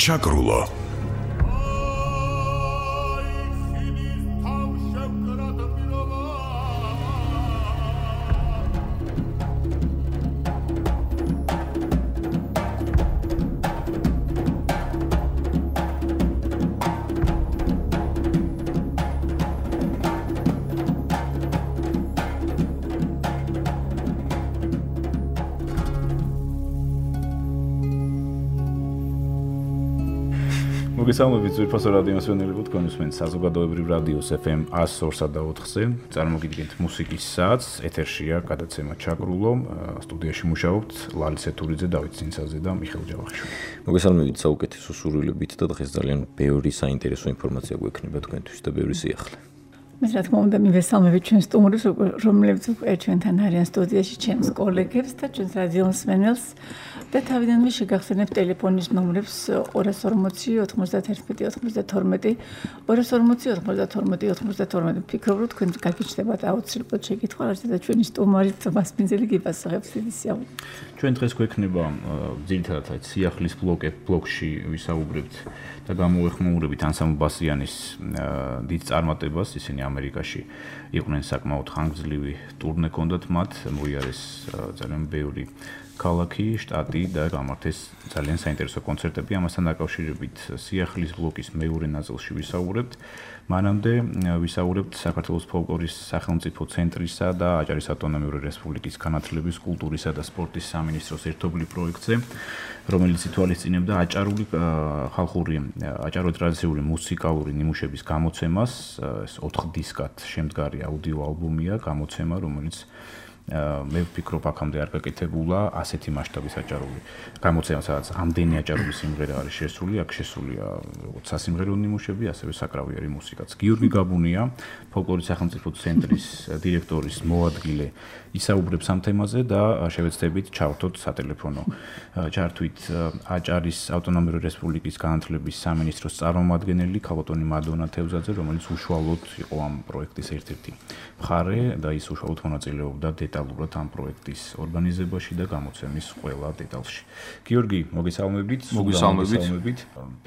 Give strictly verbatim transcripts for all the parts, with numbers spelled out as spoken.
ჩაკრულო. მოგესალმებით ძვირფასო რადიო მსმენელებო, თქვენ უსმენთ საზოგადოებრივ რადიოს ეფ ემ one oh four-ზე. წარმოგიდგენთ მუსიკის საათს, ეთერშია გადაცემა ჩაკრულო. სტუდიაში მუშაობთ ლალისე თურიძე, დავით ცინცაძე და მიხეილ ჯავახიშვილი. მოგესალმებით საუკეთესო სურვილებით და დღეს ძალიან ბევრი საინტერესო ინფორმაცია გვექნება თქვენთვის და ბევრი სიახლე. მე რა თქმა უნდა მივესალმებით ჩვენს სტუმრებს, რომლებიც უკვე ჩვენთან არიან სტუდიაში, ჩვენს კოლეგებს და ჩვენს რადიო მსმენელს და თავიდანვე შეგახსენებთ ტელეფონის ნომრებს two forty ninety-one ninety-two two forty ninety-one ninety-two. ფიქრობ რომ თქვენ გაგიჩნდებათ აუცილებლად შეკითხვა, რასაც ჩვენი სტუმარი თომას პინძელი გიპასუხებს დიდი სიამოვნებით. ჩვენ დღეს გვექნება ძირითადად სიახლის ბლოკე ბლოკში ვისაუბრებთ და გამოვეხმაურებით ანსამბლ ბასიანის დიდ წარმატებას, ისინი ამერიკაში იყვნენ საკმაოდ ხანგრძლივი ტურნე ჰქონდათ მათ, მოიარეს ძალიან ბევრი ქალაქი, შტატი და გამართეს ძალიან საინტერესო კონცერტები. ამასთან დაკავშირებით სიახლის ბლოკის მეორე ნაწილში ვისაუბრებთ. მანამდე ვისაუბრებთ საქართველოს ფოლკლორის სახელმწიფო ცენტრისა და აჭარის ავტონომიური რესპუბლიკის განათლების, კულტურისა და სპორტის სამინისტროს ერთობლივ პროექტზე, რომელიც ითვალისწინებდა აჭარული ხალხური, აჭარული ტრადიციული მუსიკალური ნიმუშების გამოცემას. ეს ოთხ დისკად შემდგარი აუდიო ალბომია, გამოცემა, რომელიც მე ვფიქრობ აქამდე არ გაკეთებულა ასეთი მასშტაბის აჭარული გამოცემა, სადაც ამდენი აჭარული სიმღერა არის შესული, აქ შესულია როგორც სასიმღერო ნიმუშები, ასევე საკრავიერი მუსიკაც. გიორგი გაბუნია, ფოლკლორის სახელმწიფო ცენტრის დირექტორის მოადგილე, ისაუბრებს ამ თემაზე და შევეცდებით ჩავთოთ სატელეფონო ჩართვით აჭარის ავტონომიური რესპუბლიკის განათლების სამინისტროს წარმომადგენელი ქალბატონი მადონა თევზაძე, რომელიც უშუალოდ იყო ამ პროექტის ერთ-ერთი მხარე და ის უშუალოდ მონაწილეობდა დეტალურად ამ პროექტის ორგანიზებაში და გამოცემის ყველა დეტალში. გიორგი, მოგესალმებით. მოგესალმებით.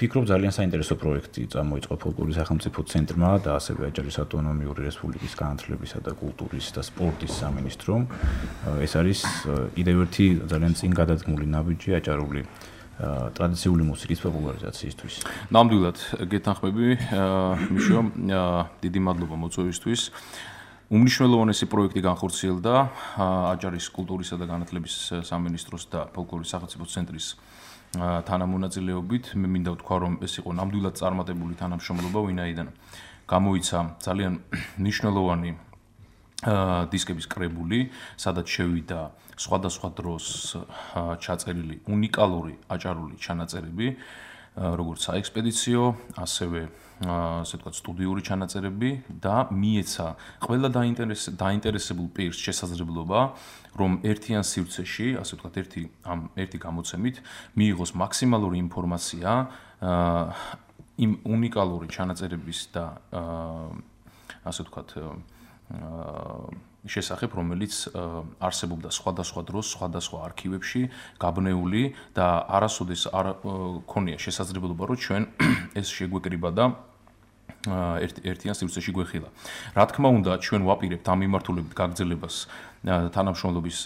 ფიქრობ ძალიან საინტერესო პროექტი წამოიწყო ფოლკლორის სახელმწიფო ცენტრმა და ასევე აჭარის ავტონომიური რესპუბლიკის განათლებისა და კულტურის და სპორტის სამინისტრომ. ეს არის კიდევ ერთი ძალიან წინ გადადგმული ნაბიჯი აჭარული ტრადიციული მუსიკის პოპულარიზაციისთვის. ნამდვილად გეთანხმები, მიშო, დიდი მადლობა მოწვევისთვის. უმნიშვნელოვანესი პროექტი განხორციელდა აჭარის კულტურისა და განათლების სამინისტროს და ფოლკლორის სახელმწიფო ცენტრის თანამონაწილეობით. მე მინდა ვთქვა, რომ ეს იყო ნამდვილად წარმატებული თანამშრომლობა, ვინაიდან გამოიცა ძალიან მნიშვნელოვანი დისკების კრებული, სადაც შევიდა სხვადასხვა დროს ჩაწერილი უნიკალური აჭარული ჩანაწერები, როგორც საექსპედიციო, ასევე ასე ვთქვათ სტუდიური ჩანაწერები და მიეცა ყველა დაინტერესებულ პირს შესაძლებლობა, რომ ერთიან სივრცეში, ასე ვთქვათ, ერთი ამ ერთი გამოცემით მიიღოს მაქსიმალური ინფორმაცია იმ უნიკალური ჩანაწერების და ასე ვთქვათ შესახებ, რომელიც არსებობდა სხვადასხვა დროს, სხვადასხვა არქივებში გაბნეული და არასოდეს არ ქონია შესაძლებლობა, რომ ჩვენ ეს შეგვეკრიბა და ერთიან სივრცეში გვეხილა. რა თქმა უნდა, ჩვენ ვაპირებთ ამ მიმართულებით გაგრძელებას თანამშრომლობის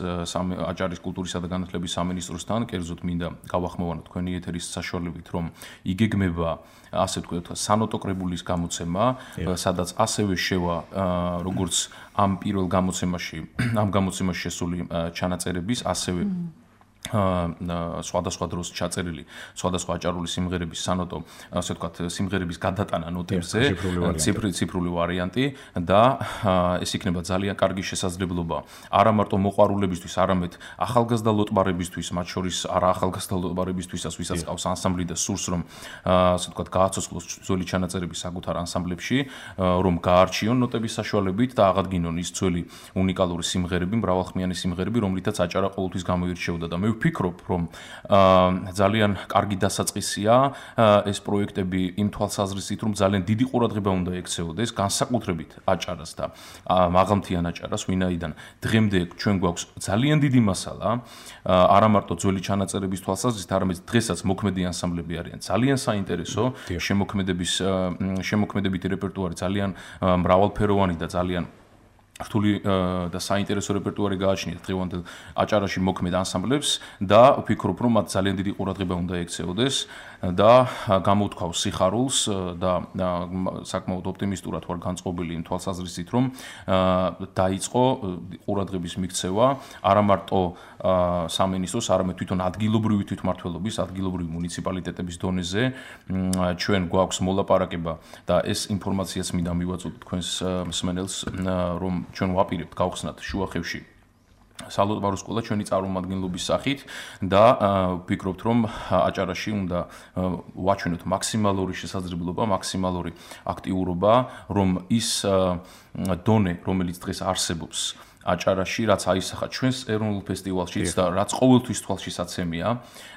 აჭარის კულტურისა და განათლების სამინისტროსთან, კერძოდ მინდა გავახმოვანოთ თქვენი ეთერის საშუალებით, რომ იგეგმება ასე ვთქვათ სანოტო კრებულის გამოცემა, სადაც ასევე შევა როგორც ამ პირველ გამოცემაში, ამ გამოცემაში შესული ჩანაწერების, ასევე სხვადასხვა დროს ჩაწერილი სხვადასხვა აჭარული სიმღერების სანოტო, ასე ვთქვათ, სიმღერების გადატანა ნოტებზე, ციფრული ვარიანტი და ეს იქნება ძალიან კარგი შესაძლებლობა არა მარტო მოყვარულებისთვის, არამედ ახალგაზრდა ლოტბარებისთვის, მათ შორის არა ახალგაზრდა ლოტბარებისთვისაც, ვისაც ყავს ანსამბლი და სურს რომ ასე ვთქვათ გააცოცხლოს ძველი ჩანაწერები საკუთარ ანსამბლებში, რომ გაარჩიონ ნოტების საშუალებით და აღადგინონ ის ძველი უნიკალური სიმღერები, მრავალხმიანი სიმღერები, რომლითაც აჭარა ყოველთვის გამოირჩეოდა და მე ვფიქრობ, რომ ძალიან კარგი დასაწყისია ეს პროექტები იმ თვალსაზრისით, რომ ძალიან დიდი ყურადღება უნდა ექცეოდეს განსაკუთრებით აჭარას და მაღალმთიან აჭარას, ვინაიდან დღემდე ჩვენ გვაქვს ძალიან დიდი მასალა, არა მარტო ძველი ჩანაწერების თვალსაზრისით, არამედ დღესაც მოქმედი ანსამბლები არიან ძალიან საინტერესო, შემოქმედების შემოქმედებითი რეპერტუარი ძალიან მრავალფეროვანი და ძალიან რთული და საინტერესო რეპერტუარი გააჩნიათ დღევანდელ აჭარაში მოქმედ ანსამბლებს და ვფიქრობ, რომ მათ ძალიან დიდი ყურადღება უნდა ექცეოდეს და გამოუთქვავს სიხარულს და საკმაოდ ოპტიმისტურად ვარ განწყობილი იმ თვალსაზრისით, რომ დაიწყო ყურადღების მიქცევა არა მარტო სამინისტროს, არამედ თვითონ ადგილობრივი თვითმმართველობის, ადგილობრივი მუნიციპალიტეტების დონეზე ჩვენ გვაქვს მოლაპარაკება და ეს ინფორმაციაც მინდა მივაწოდოთ თქვენს მსმენელს, რომ ჩვენ ვაპირებთ გავხსნათ შუახევში სალოტბარო სკოლა ჩვენი წარმომადგენლობის სახით და ვფიქრობთ, რომ აჭარაში უნდა ვაჩვენოთ მაქსიმალური შესაძლებლობა, მაქსიმალური აქტიურობა, რომ ის დონე, რომელიც დღეს არსებობს აჭარაში, რაც აისახა ჩვენს ეროვნულ ფესტივალშიც და რაც ყოველთვის თვალშისაცემია,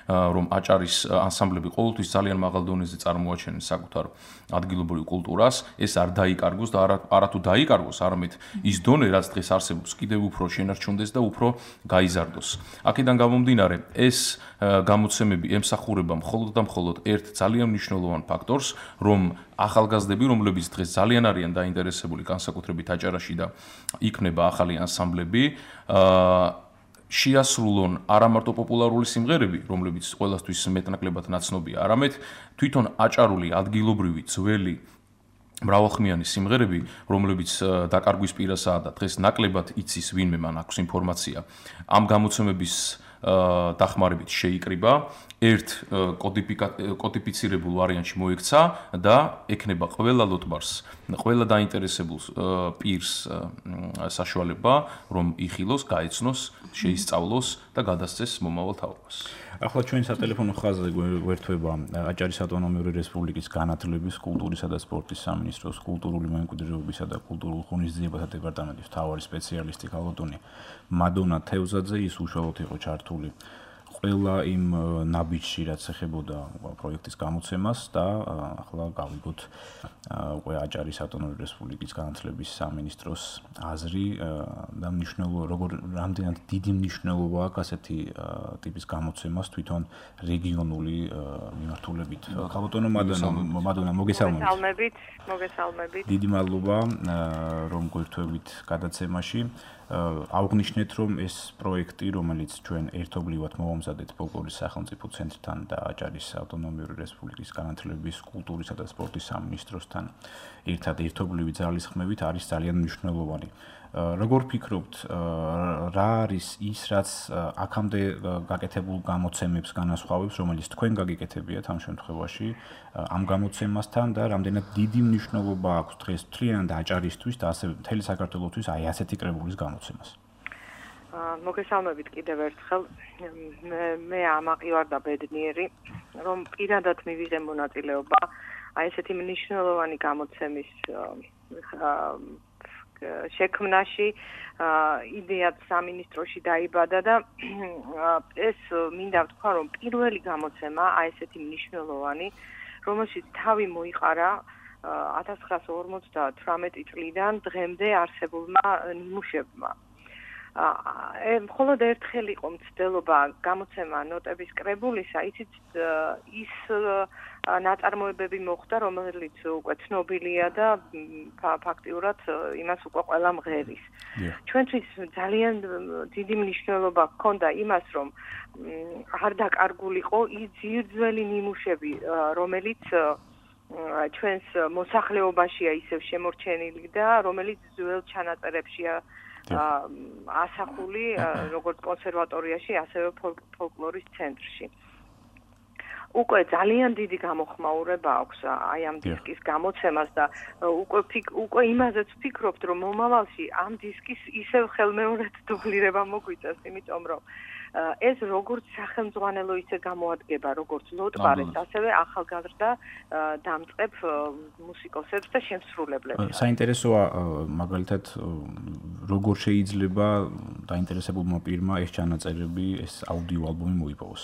რომ აჭარის ანსამბლები ყოველთვის ძალიან მაღალ დონეზე წარმოაჩენენ საკუთარ ადგილობრივ კულტურას, ეს არ დაიკარგოს და არათუ დაიკარგოს, არამედ ის დონე, რაც დღეს არსებობს, კიდევ უფრო შენარჩუნდეს და უფრო გაიზარდოს. აქედან გამომდინარე, ეს გამოცემები ემსახურება მხოლოდ და მხოლოდ ერთ ძალიან მნიშვნელოვან ფაქტორს, რომ ახალგაზრდები, რომლებიც დღეს ძალიან არიან დაინტერესებული განსაკუთრებით აჭარაში და იქნება ახალი ანსამბლები, შეასრულონ არა მარტო პოპულარული სიმღერები, რომლებიც ყველასთვის მეტნაკლებად ნაცნობია, არამედ თვითონ აჭარული ადგილობრივი ძველი მრავალხმიანი სიმღერები, რომლებიც დაკარგვის პირასაა და დღეს ნაკლებად იცის ვინმე მან აქვს ინფორმაცია, ამ გამოცემების დახმარებით შეიკრიბა, ერთ კოდიფიცირებულ ვარიანტში მოექცა და ექნება ყველა ლოტბარს, ყველა დაინტერესებულ პირს საშუალება, რომ იხილოს, გაეცნოს, შეისწავლოს და გადასცეს მომავალ თაობას. ახლა ჩვენ სატელეფონო ხაზზე გვერდება აჭარის ავტონომიური რესპუბლიკის განათლების, კულტურისა და სპორტის სამინისტროს კულტურული მემკვიდრეობისა და კულტურულ ღონისძიებათა დეპარტამენტის მთავარი სპეციალისტი ქალბატონი მადონა თევზაძე, ის უშუალოდ იყო ჩართული ყველა იმ ნაბიჯში, რაც ეხებოდა პროექტის გამოცემას და ახლა გავიგოთ უკვე აჭარის ავტონომიური რესპუბლიკის განათლების სამინისტროს აზრი და მნიშვნელობა, როგორ რამდენად დიდი მნიშვნელობა აქვს ასეთი ტიპის გამოცემას თვითონ რეგიონული მიმართულებით. ქალბატონო მადონა, მადონა მოგესალმებით. მოგესალმებით, მოგესალმებით. დიდი მადლობა, რომ გვერდთვებით გადაცემაში. აღვნიშნეთ, რომ ეს პროექტი, რომელიც ჩვენ ერთობლივად მოვამზადეთ ფოლკლორის სახელმწიფო ცენტრთან და აჭარის ავტონომიური რესპუბლიკის განათლების, კულტურისა და სპორტის სამინისტროსთან ერთად ერთობლივი ძალისხმევით არის ძალიან მნიშვნელოვანი. როგორ ფიქრობთ, რა არის ის, რაც აქამდე გაკეთებულ გამოცემებს განასხვავებს, რომელიც თქვენ გაგიკეთებიათ ამ შემთხვევაში ამ გამოცემასთან და რამდენად დიდი მნიშვნელობა აქვს დღეს მთლიანად აჭარისთვის და ასევე მთელი საქართველოსთვის აი ასეთი კრებულის გამოცემას? მოგესალმებით კიდევ ერთხელ. მე ამაყი ვარ და ბედნიერი, რომ პირადად მივიღე მონაწილეობა აი ესეთი მნიშვნელოვანი გამოცემის შექმნაში, იდეაც სამინისტროში დაიბადა და ეს მინდა ვთქვა, რომ პირველი გამოცემა აი ესეთი მნიშვნელოვანი, რომელშიც თავი მოიყარა ათას ცხრაასა ორმოცდათვრამეტი წლიდან დღემდე არსებულმა ნიმუშებმა. მხოლოდ ერთხელ იყო მცდელობა გამოცემა ნოტების კრებულისა, იცით ის ნაწარმოებები მოხდა, რომელიც უკვე ცნობილია და ფაქტიურად იმას უკვე ყველა მღერის. ჩვენთვის ძალიან დიდი მნიშვნელობა ჰქონდა იმას, რომ არ დაკარგულიყო ის ძირძველი ნიმუშები, რომელიც ჩვენს მოსახლეობაშია ისევ შემორჩენილი და რომელიც ძველ ჩანაწერებშია ასახული, როგორც კონსერვატორიაში, ასევე ფოლკლორის ცენტრში. უკვე ძალიან დიდი გამოხმაურება აქვს აი ამ დისკის გამოცემას და უკვე უკვე იმაზეც ვფიქრობთ, რომ მომავალში ამ დისკის ისევ ხელმეორედ დუბლირება მოგვიწევს, იმიტომ რომ ეს როგორც სახელმძღვანელო ისე გამოადგება, როგორც ლოტბარეს, ასევე ახალგაზრდა დამწყებ მუსიკოსებს და შემსრულებლებს. საინტერესოა მაგალითად როგორ შეიძლება დაინტერესებულმა პირმა ეს ჩანაწერები, ეს აუდიო ალბომი მოიპოვოს.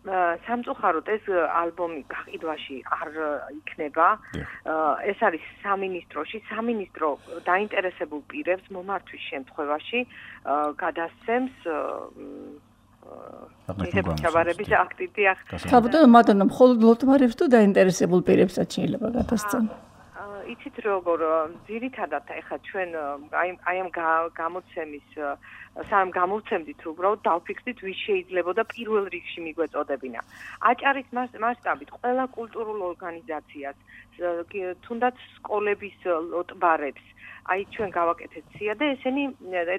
სამწუხაროდ ეს ალბომი გაყიდვაში არ იქნება. ეს არის სამინისტროში, სამინისტრო დაინტერესებულ პირებს მომართვის შემთხვევაში გადასცემს ჩაბარების აქტივი ახ. საბუთო მადონო მხოლოდ ლოტბარებს თუ დაინტერესებულ პირებსაც შეიძლება გადასცემ. იცით როგორ ძირითადად ეხლა ჩვენ აი აი ამ გამოცემის სამ გამოცემდით უბრალოდ დავფიქრდით ვის შეიძლებოდა პირველ რიგში მიგვეწოდებინა. აჭარის მასშტაბით ყველა კულტურულ ორგანიზაციას, თუნდაც სკოლების ლოტბარებს, აი ჩვენ გავაკეთეთ სია და ესენი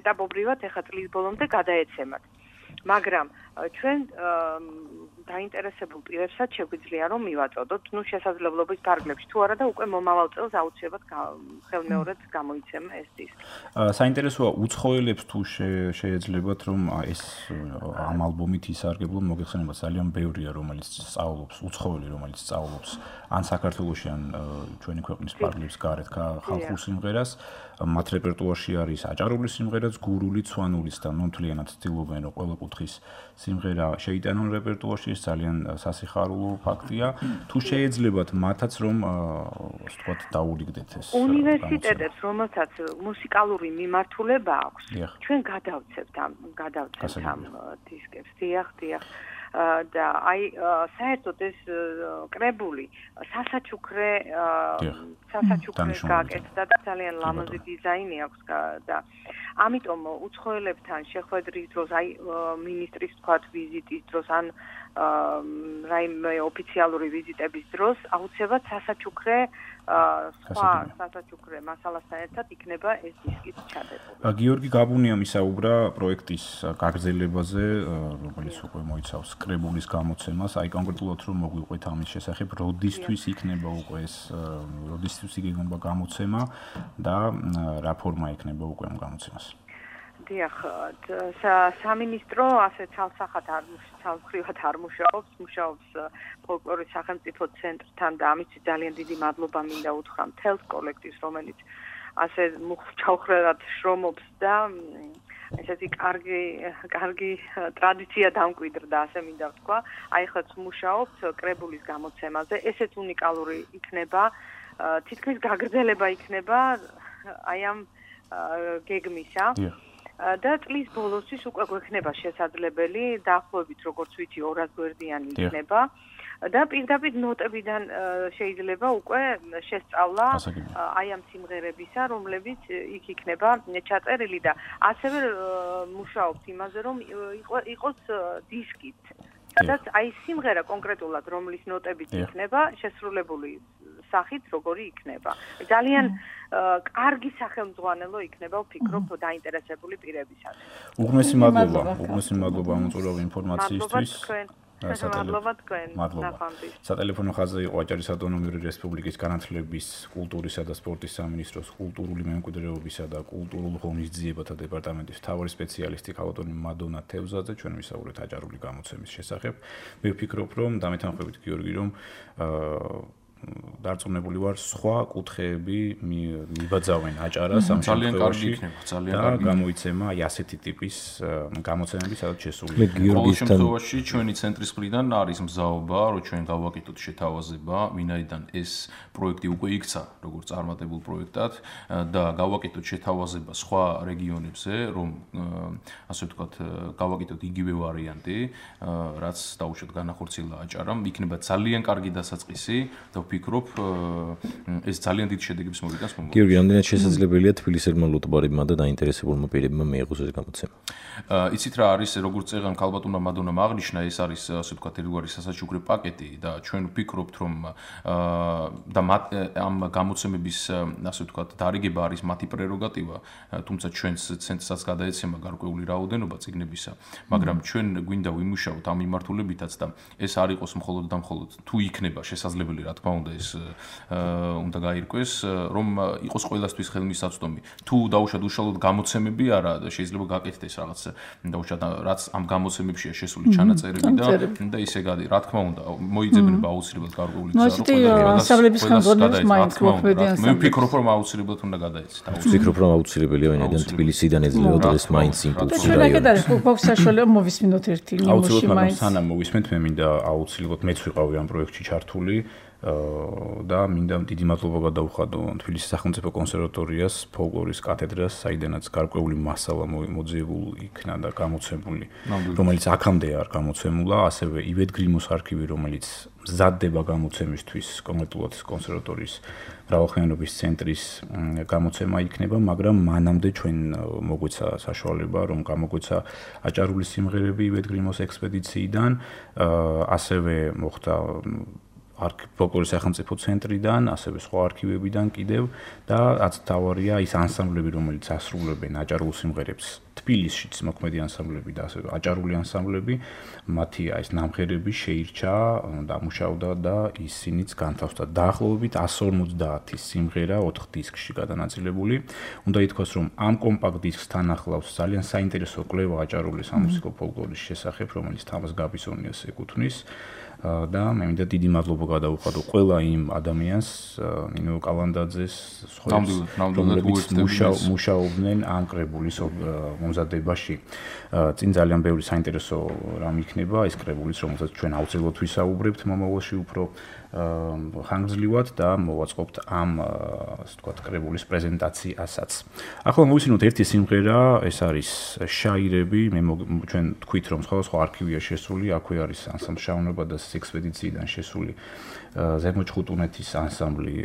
ეტაპობრივად ეხლა წლის ბოლომდე გადაეცემათ. მაგრამ ჩვენ დაინტერესებულ პირებსაც შეგვიძლია რომ მივაწოდოთ, ну შესაძლებლობის ფარგლებში თუ არა და უკვე მომავალ წელს აუცილებლად ხელმეორედ გამოიცემა ეს დისკი. საინტერესოა უცხოელებს თუ შეეძლებათ რომ ეს ამ ალბომით ისარგებლონ, მოგეხსენებათ ძალიან ბევრია რომელიც სწავლობს, უცხოელი რომელიც სწავლობს ან საქართველოში ან ჩვენი ქვეყნის ფარგლებს გარეთ ხალხურ სიმღერას, მათ რეპერტუარში არის აჭარული სიმღერაც, გურული, ცვანულიც და ნამდვილად ცდილობენ რომ ყველა კუთხის სიმღერა შეიტანონ რეპერტუარში, ეს ძალიან სასიხარულო ფაქტია. თუ შეეძლებათ მათაც რომ ასე ვთქვათ დაურიგდეთ ეს უნივერსიტეტებს, რომელთაც მუსიკალური მიმართულება აქვს, ჩვენ გადავცევთ ამ გადავცევთ ამ დისკებს. დიახ, დიახ. და აი საერთოდ ეს კრებული სასაჩუქრე სასაჩუქრე გააკეთდა და ძალიან ლამაზი დიზაინი აქვს და ამიტომ უცხოელებთან შეხვედრის დროს აი მინისტრის თქვათ ვიზიტის დროს ან რაიმე ოფიციალური ვიზიტების დროს აუცილებლად სასაჩუქრე სხვა სასაჩუქრე მასალასთან ერთად იქნება ეს დისკიც ჩადებული. გიორგი გაბუნიამ ისაუბრა პროექტის გაგრძელებაზე, რომელიც უკვე მოიცავს კრებულის გამოცემას, აი კონკრეტულად რომ მოგვიყვეთ ამის შესახებ, როდისთვის იქნება უკვე ეს როდისთვის იქნება გამოცემა და რა ფორმა იქნება უკვე ამ გამოცემას. დიახ, სამინისტრო ასე ცალსახად არ ცალმხრივად არ მუშაობს, მუშაობს ფოლკლორის სახელმწიფო ცენტრთან და ამისთვის ძალიან დიდი მადლობა მინდა უთხრა მთელს კოლექტივს, რომელიც ასე მუხჩაუხრად შრომობს და ესეთი კარგი კარგი ტრადიცია დამკვიდრდა, ასე მინდა ვთქვა. აი ხაც მუშაობთ კრებულის გამოცემაზე, ესეც უნიკალური იქნება, თითქმის გაგრძელება იქნება აი ამ გეგმისა. და წლის ბოლოსთვის უკვე გვექნება შესაძლებელი დაახლოებით როგორც ვიცი ორას გვერდიანი იქნება და პირდაპირ ნოტებიდან შეიძლება უკვე შესწავლა აი ამ სიმღერებისა, რომლებიც იქ იქნება ჩაწერილი და ასევე მუშაობთ იმაზე რომ იყოს დისკით. სადაც აი სიმღერა კონკრეტულად რომლის ნოტებით იქნება შესრულებული სახით როგორი იქნება. ძალიან კარგი სახელმძღვანელო იქნება, ვფიქრობ, დაინტერესებული პირებისათვის. უღმესი მადლობა, უღმესი მადლობა უწურავი ინფორმაციისთვის. მადლობა თქვენ. სატელეფონო ხაზზე იყო აჭარის ავტონომიური რესპუბლიკის განათლების, კულტურისა და სპორტის სამინისტროს კულტურული მემკვიდრეობისა და კულტურულ ღონისძიებათა დეპარტამენტის მთავარი სპეციალისტი ქალბატონი მადონა თევზაძე, ჩვენ ვისაუბრეთ აჭარული გამოცემის შესახებ. მე ვფიქრობ, რომ დამეთანხმებით გიორგი, რომ დარწმუნებული ვარ, სხვა კუთხეები მიბაძავენ აჭარას ამ შემთხვევაში და გამოიცემა აი ასეთი ტიპის გამოცემები, სადაც შესული. ყოველ შემთხვევაში ჩვენი ცენტრის მხრიდან არის მზაობა, რომ ჩვენ გავაკეთოთ შეთავაზება, ვინაიდან ეს პროექტი უკვე იქცა, როგორც წარმატებულ პროექტად და გავაკეთოთ შეთავაზება სხვა რეგიონებზე, რომ ასე ვთქვათ, გავაკეთოთ იგივე ვარიანტი, რაც დაუშვათ განახორციელა აჭარამ, იქნება ძალიან კარგი დასაწყისი და ვფიქრობ, ეს ძალიან დიდ შედეგებს მოვიტანს მომავალში. გიორგი, რამდენად შესაძლებელია თბილისელმა ლოტბარებმა და დაინტერესებულმა პირებმა მიიღოს ეს გამოცემა? იცით რა არის, როგორც წეგან ქალბატონმა მადონამ აღნიშნა, ეს არის ასე ვთქვათ, ერთგვარი სასაჩუქრე პაკეტი და ჩვენ ვფიქრობთ, რომ და ამ გამოცემების ასე ვთქვათ, დარიგება არის მათი პრეროგატივა, თუმცა ჩვენს ცენტრსაც გადაეცემა გარკვეული რაოდენობა წიგნებისა, მაგრამ ჩვენ გვინდა ვიმუშაოთ ამ მიმართულებითაც და ეს არ იყოს მხოლოდ და მხოლოდ თუ იქნება შესაძლებელი, რა თქმა უნდა, ეს უნდა გაირკვეს, რომ იყოს ყველასთვის ხელმისაწვდომი. თუ დაუშვათ უშუალოდ გამოცემები არა, შეიძლება გაკეთდეს რაღაც დაუშვათ რაც ამ გამოცემებშია შესული ჩანაწერები და და ისე გადი, რა თქმა უნდა, მოიძებნება აუცილებლად გარკვეული გზა, რომ მასშტაბების განზომილებას მაინც მოქმედიან. მე ვფიქრობ, რომ აუცილებლად უნდა გადაეცეთ. ვფიქრობ, რომ აუცილებელია, ვინაიდან თბილისიდან ეძლევა დღეს მაინც იმპულსი რაიონი. და შეგადარებ გვაქვს საშუალება მოვისმინოთ ერთი ნიმუში მაინც. სანამ მოვისმენთ, მე მინდა აუცილებლად მეც ვიყავი ამ პროექტში ჩართული და მინდა დიდი მადლობა გადავუხადო თბილისის სახელმწიფო კონსერვატორიას, ფოლკლორის კათედრას, საიდანაც გარკვეული მასალა მოძიებული იქნა და გამოცემული, რომელიც აქამდე არ გამოცემულა, ასევე ივეთ გრიმოს არქივი, რომელიც მზადდება გამოცემისთვის, კონკრეტულად კონსერვატორიის მრავალხმიანობის ცენტრის გამოცემა იქნება, მაგრამ მანამდე ჩვენ მოგვეცა საშუალება, რომ გამოგვეცა აჭარული სიმღერები ივეთ გრიმოს ექსპედიციიდან, ასევე მოხდა ფოლკლორის სახელმწიფო ცენტრიდან, ასევე სხვა არქივებიდან კიდევ და რაც თავარია ის ანსამბლები, რომელიც ასრულებენ აჭარულ სიმღერებს თბილისშიც მოქმედი ანსამბლები და ასევე აჭარული ანსამბლები, მათი ეს ნამღერები შეირჩა, დამუშავდა და ისინიც განთავსდა დაახლოებით εκατს ორმოცდაათი სიმღერა ოთხ დისკში გადანაწილებული. უნდა ითქვას, რომ ამ კომპაქტ დისკთან ახლავს ძალიან საინტერესო კვლევა აჭარული სამუსიკო ფოლკლორის შესახებ, რომელიც თამაზ გაბისონიას ეკუთვნის. და მე მინდა დიდი მადლობა გადავუხადო ყველა იმ ადამიანს, ნინო კალანდაძეს, რომლებიც მუშაობდნენ ამ კრებულის მომზადებაში. წინ ძალიან ბევრი საინტერესო რამ იქნება ეს კრებულიც, რომელსაც ჩვენ აუცილებლად ვისაუბრებთ მომავალში უფრო ხანგრძლივად და მოვაწყობთ ამ ასე ვთქვათ კრებულის პრეზენტაციასაც. ახლა მოვისმინოთ ერთი სიმღერა, ეს არის შაირები, მე ჩვენ თქვით რომ სხვადასხვა არქივია შესული, აქვე არის ანსამბლ შაუნება და ექსპედიციიდან შესული ზემოჩხუტუნეთის ანსამბლი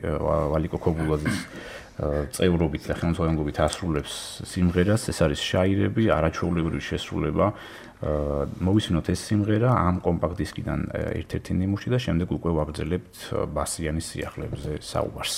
ვალიკო ქობულაძის წევრობით და ხელმძღვანელობით ასრულებს სიმღერას, ეს არის შაირები, არაჩვეულებრივი შესრულება. მოვისმინოთ ეს სიმღერა ამ კომპაქტ დისკიდან ერთ-ერთი ნიმუში და შემდეგ უკვე ვაგრძელებთ ბასიანის სიახლეებზე საუბარს.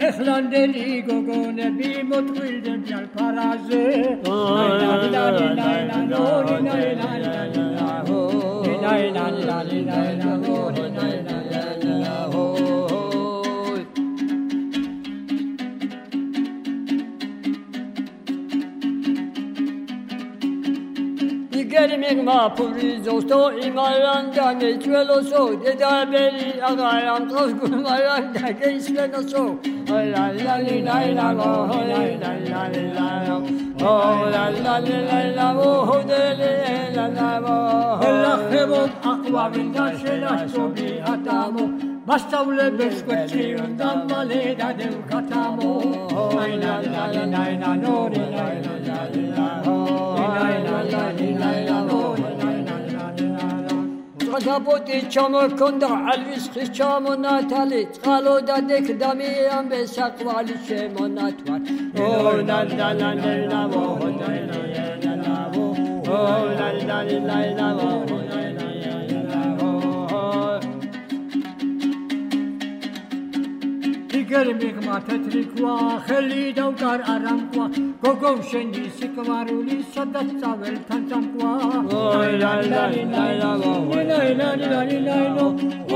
ეხლანდელი გოგონები მოთხრილდნენ ჯალფარაზე Gelmekma purizosto imaranda geçveloso dedabeli agaram kavgurmaranda geçveloso la la la la la la la la la oh la la la la oh de la la la khebo aqwa min dashela shobi atamo Bastawle beskoti undamale dadem katamo la la la la la no la la la la Გადაპოტი ჩამოქონდა ალვის ხის ჩამონათალი წყალოდა დეკდამი ამბე საყვალი შემონათვალ ო ლა ლა ლა ლა ო ლა ლა ლა ლა ო ლა ლა ლა ლა ო Gelmekma tetrikwa kheli davkar aramkwa gogom shendi sikmaruli sadat savel tantamkwa oh la la la la oh la la la la no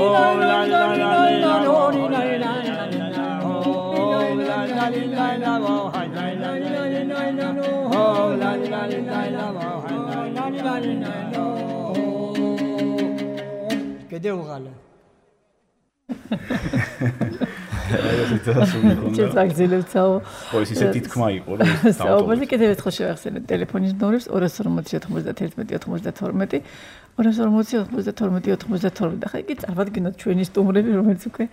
oh la la la la no la la la oh la la la la oh la la la la no oh la la la la oh la la la no kede ugala ჩაგზელებცაო. ხო, ეს ისეთი თქმა იყო, რომ საუბარი კიდევ ერთხელ შევახსენეთ ტელეფონის ნომრებს ორას ორმოცი ოთხმოცდაერთმეტი ოთხმოცდათორმეტი ორას ორმოცი ოთხმოცდათორმეტი ოთხმოცდათორმეტი და ხა იგი წარმოგიდგენთ ჩვენი სტუმრები, რომელიც უკვე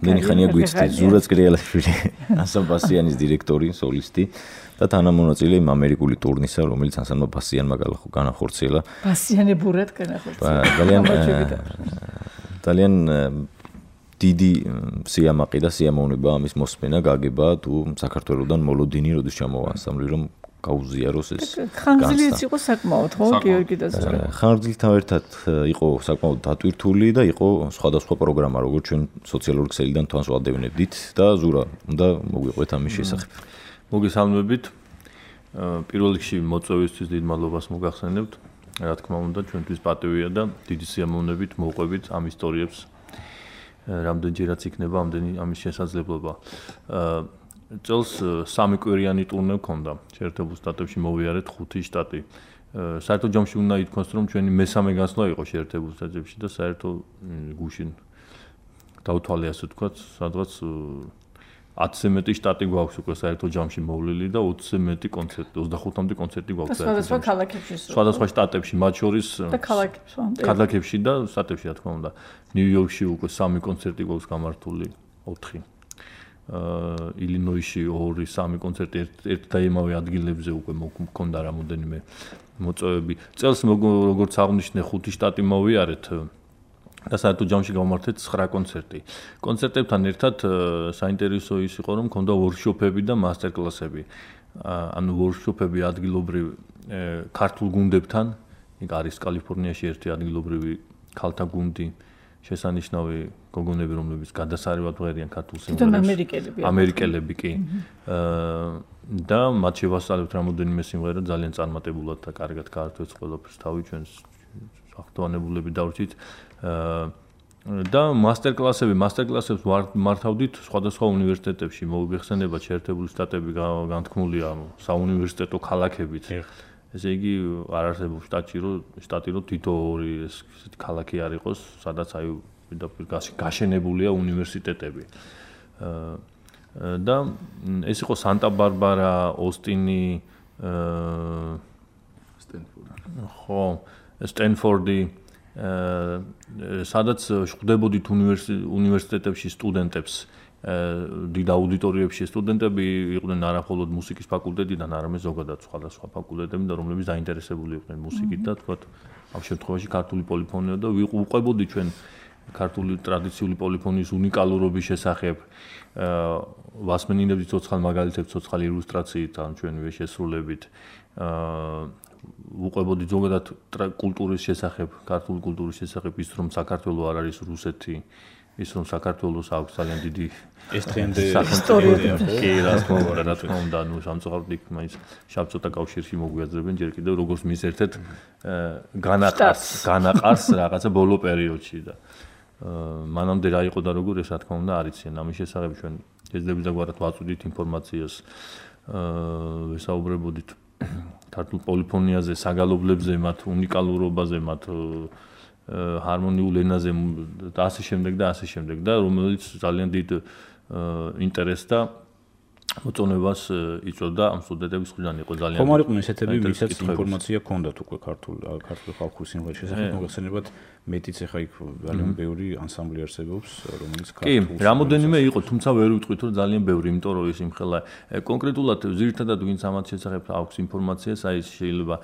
მენი ხანია გვიცდი ზურაც კრიალაშვილი ანსამბლ ბასიანის დირექტორი სოლისტი და თანამონაწილე იმ ამერიკული ტურნისა რომელიც ანსამბლ ბასიანმა განახორციელა ბასიანებურად განახორციელა ძალიან ძალიან დიდი სიამაყე და სიამოვნება ამის მოსმენა გაგება თუ საქართველოსდან მოლოდინი როდის ჩამოვა ანსამბლი რომ გაუზიაროს ეს ხანგრძლივიც იყო საკმაოდ ხო გიორგი და ზურა ხანგრძლივთან ერთად იყო საკმაოდ დატვირთული და იყო სხვადასხვა პროგრამა როგორც ჩვენ სოციალური ქსელიდან თვალს ვადევნებდით და ზურა უნდა მოგვიყვეთ ამის შესახებ მოგესალმებით პირველ რიგში მოწვევისთვის დიდ მადლობას მოგახსენებთ რა თქმა უნდა ჩვენთვის პატივია და დიდი სიამოვნებით მოვყვებით ამ ისტორიებს რამდენჯერაც იქნება ამდენი ამის შესაძლებლობა წელს სამი კვირიანი ტურნე გქონდა შეერთებულ შტატებში მოვიარეთ ხუთი შტატი საერთო ჯამში უნდა ითქვას რომ ჩვენი მესამე განსვლა იყო შეერთებულ შტატებში და საერთო გუშინ დავთვალე ასე ვთქვათ სადღაც ათზე მეტი შტატი გვაქვს უკვე საერთო ჯამში მოვლილი და ოცზე მეტი კონცერტი ოცდახუთამდე კონცერტი გვაქვს სხვადასხვა ქალაქებში სხვადასხვა შტატებში მათ შორის და ქალაქებში ქალაქებში და შტატებში რა თქმა უნდა ნიუ-იორკში უკვე სამი კონცერტი გვაქვს გამართული ოთხი ილინოისში ორი სამი კონცერტი ერთ და იმავე ადგილებზე უკვე მქონდა რამოდენიმე მოწვევები წელს როგორც აღნიშნე ხუთი შტატი მოვიარეთ და საერთო ჯამში გავმართეთ ცხრა კონცერტი კონცერტებთან ერთად საინტერესო ის იყო რომ მქონდა ვორქშოპები და მასტერკლასები ანუ ვორქშოპები ადგილობრივ ქართულ გუნდებთან იქ არის კალიფორნიაში ერთი ადგილობრივი ქალთა გუნდი შესანიშნავი გოგონები რომლებიც გადასარევად ღერიან ქართულ სიმღერებს ამერიკელები ამერიკელები კი და მათ შევასწავლებთ რამოდენიმე სიმღერა ძალიან წარმატებულად და კარგად გაართვეს ყველაფერს თავი ჩვენს ახტოვანებულები დავრჩით და მასტერკლასები მასტერკლასებს მართავდით სხვადასხვა უნივერსიტეტებში მოგვიხსენება შეერთებული შტატები განთქმულია საუნივერსიტეტო ქალაქებით ესე იგი არ არსებობს შტატში რომ შტატი რომ თითო ორი ესეთი ქალაქი არ იყოს სადაც აი პირდაპირ გაშენებულია უნივერსიტეტები და ეს იყო სანტა-ბარბარა ოსტინი სტენფორდი ხო სტენფორდი სადაც ხვდებოდით უნივერსიტეტებში სტუდენტებს დიდ აუდიტორიებში სტუდენტები იყვნენ არა მხოლოდ მუსიკის ფაკულტეტიდან, არამედ ზოგადად სხვადასხვა ფაკულტეტები და რომლებიც დაინტერესებული იყვნენ მუსიკით და თქვათ ამ შემთხვევაში ქართული პოლიფონია და ვიყვებოდი ჩვენ ქართული ტრადიციული პოლიფონიის უნიკალურობის შესახებ ვასმენინებდი ცოცხალ მაგალითებს ცოცხალ ილუსტრაციით ან ჩვენივე შესრულებით ვუყვებოდი ზოგადად კულტურის შესახებ ქართული კულტურის შესახებ ის რომ საქართველოს არ არის რუსეთი ის რომ საქართველოს აქვს ძალიან დიდი ეს ტრენდი ისტორია კი რა თქმა უნდა რა თქმა უნდა ნუ სამწუხაროდ იქ მაინც შავწოთა კავშირში მოგვიაძრებენ ჯერ კიდევ როგორც მის ერთ-ერთ განაყარს განაყარს რაღაცა ბოლო პერიოდში და მანამდე რა იყო და როგორ ეს რა თქმა უნდა არ იციან ამის შესახებ ჩვენ შეძლებდა გვარად ვაწვდით ინფორმაციას ვესაუბრებოდით ქართულ პოლიფონიაზე საგალობლებზე მათ უნიკალურობაზე მათ ჰარმონიულ ენაზე და ასე შემდეგ და ასე შემდეგ და რომელიც ძალიან დიდ ინტერესს და მოწონებას იწვევდა ამ სტუდენტების მხრიდან იყო ძალიან ხომ არ იყვნენ ესეთები ვისაც ინფორმაცია ჰქონდათ უკვე ქართულ ქართული ხალხური სიმღერის შესახებ მოგეხსენებათ მეტიც ახლა იქ ძალიან ბევრი ანსამბლი არსებობს რომელიც ქართულ კი რამოდენიმე იყო თუმცა ვერ ვიტყვით რომ ძალიან ბევრი იმიტომ რომ ის იმხელა კონკრეტულად ზირთადად ვინც ამათ შესახებ აქვს ინფორმაციას აი შეიძლება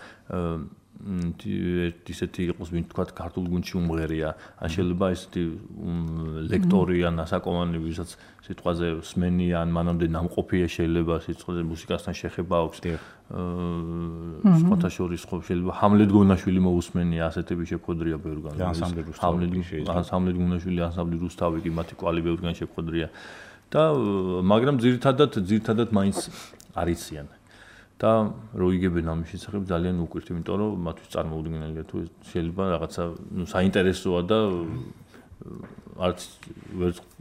ისეთი იყოს ვინ თქვა ქართულ გუნდში უმღერია ან შეიძლება ესეთი ლექტორი ან ასაკოვანი ვისაც სიტყვაზე სმენია ან მანამდე ნამყოფია შეიძლება სიტყვაზე მუსიკასთან შეხება აქვს სხვათა შორის შეიძლება ჰამლეტ გონაშვილი მოусმენია ასეთები შეფხოდრია ბევრგან ჰამლეტ გონაშვილი ანსამბლი რუსთავი კი მათი კვალი ბევრგან შეფხოდრია და მაგრამ ძირითადად ძირითადად მაინც არიციან და რო იგებენ ამის შესახებ ძალიან უკვირთ, იმიტომ რომ მათთვის წარმოუდგენელია თუ შეიძლება რაღაცა ნუ საინტერესოა და არც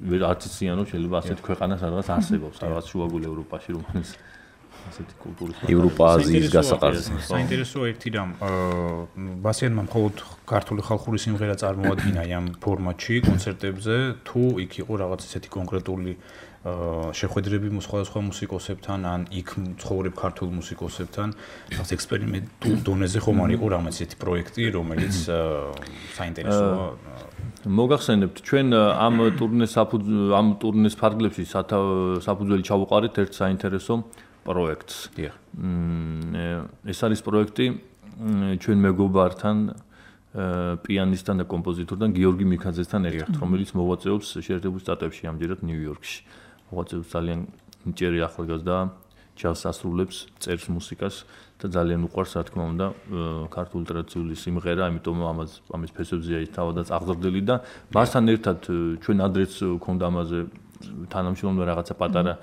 ვერ არც იციან რომ შეიძლება ასეთი ქვეყანა სადღაც არსებობს, რაღაც შუაგულ ევროპაში რომელიც ასეთი კულტურის ევროპა-აზიის გასაყარზე. საინტერესოა ერთი რამ, ბასიანმა მხოლოდ ქართული ხალხური სიმღერა წარმოადგინა ამ ფორმატში კონცერტებზე, თუ იქ იყო რაღაც ესეთი კონკრეტული შეხვედრები სხვადასხვა მუსიკოსებთან ან იქ ცხოვრებ ქართულ მუსიკოსებთან რაღაც ექსპერიმენტულ დონეზე ხომ არ იყო რაღაც ესეთი პროექტი რომელიც საინტერესოა მოგახსენებთ ჩვენ ამ ტურნეს ამ ტურნეს ფარგლებში საფუძველი ჩავუყარეთ ერთ საინტერესო პროექტს. დიახ. ეს არის პროექტი ჩვენ მეგობართან პიანისტთან და კომპოზიტორთან გიორგი მიქაძესთან ერთად, რომელიც მოღვაწეობს შეერთებულ შტატებში ამჯერად ნიუ-იორკში. მოღვაწეობს ძალიან ნიჭიერი ახალგაზრდა, ჯაზს ასრულებს, წერს მუსიკას და ძალიან უყვარს, რა თქმა უნდა, ქართული ტრადიციული სიმღერა, ამიტომ ამას ამის ფესებზეა ის თავადაც აღზრდილი და მასთან ერთად ჩვენ ადრეც გქონდა ამაზე თანამშრომლობა რაღაცა პატარა